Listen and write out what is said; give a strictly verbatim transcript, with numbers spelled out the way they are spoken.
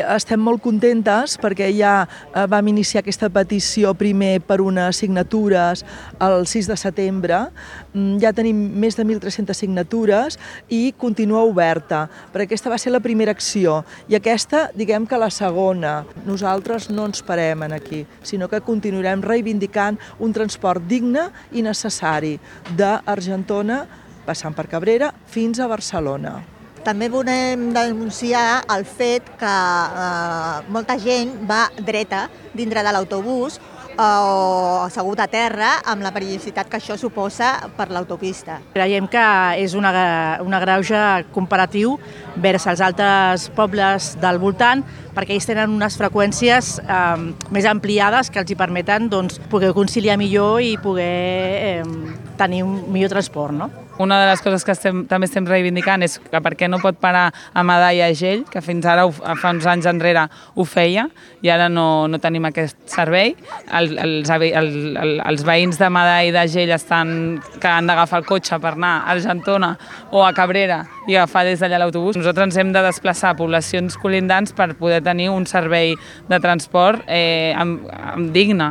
Estem molt contentes perquè ja vam iniciar aquesta petició primer per unes signatures el sis de setembre. Ja tenim més de mil tres-centes signatures i continua oberta, perquè aquesta va ser la primera acció i aquesta, diguem que la segona. Nosaltres no ens parem aquí, sinó que continuarem reivindicant un transport digne i necessari d'Argentona, passant per Cabrera, fins a Barcelona. També volem denunciar el fet que eh, molta gent va dreta dintre de l'autobús eh, o assegut a terra amb la perillositat que això suposa per l'autopista. Creiem que és una, una greuge comparatiu vers els altres pobles del voltant perquè ells tenen unes freqüències eh, més ampliades que els hi permeten doncs, poder conciliar millor i poder eh, tenir un millor transport. No? Una de les coses que estem, també estem reivindicant és que per què no pot parar a Madà i a Agell, que fins ara, fa uns anys enrere, ho feia, i ara no, no tenim aquest servei. El, els, el, el, els veïns de Madà i d'Agell estan que han d'agafar el cotxe per anar a Argentona o a Cabrera i agafar des d'allà l'autobús. Nosaltres ens hem de desplaçar a poblacions colindants per poder tenir un servei de transport eh, amb, amb digne.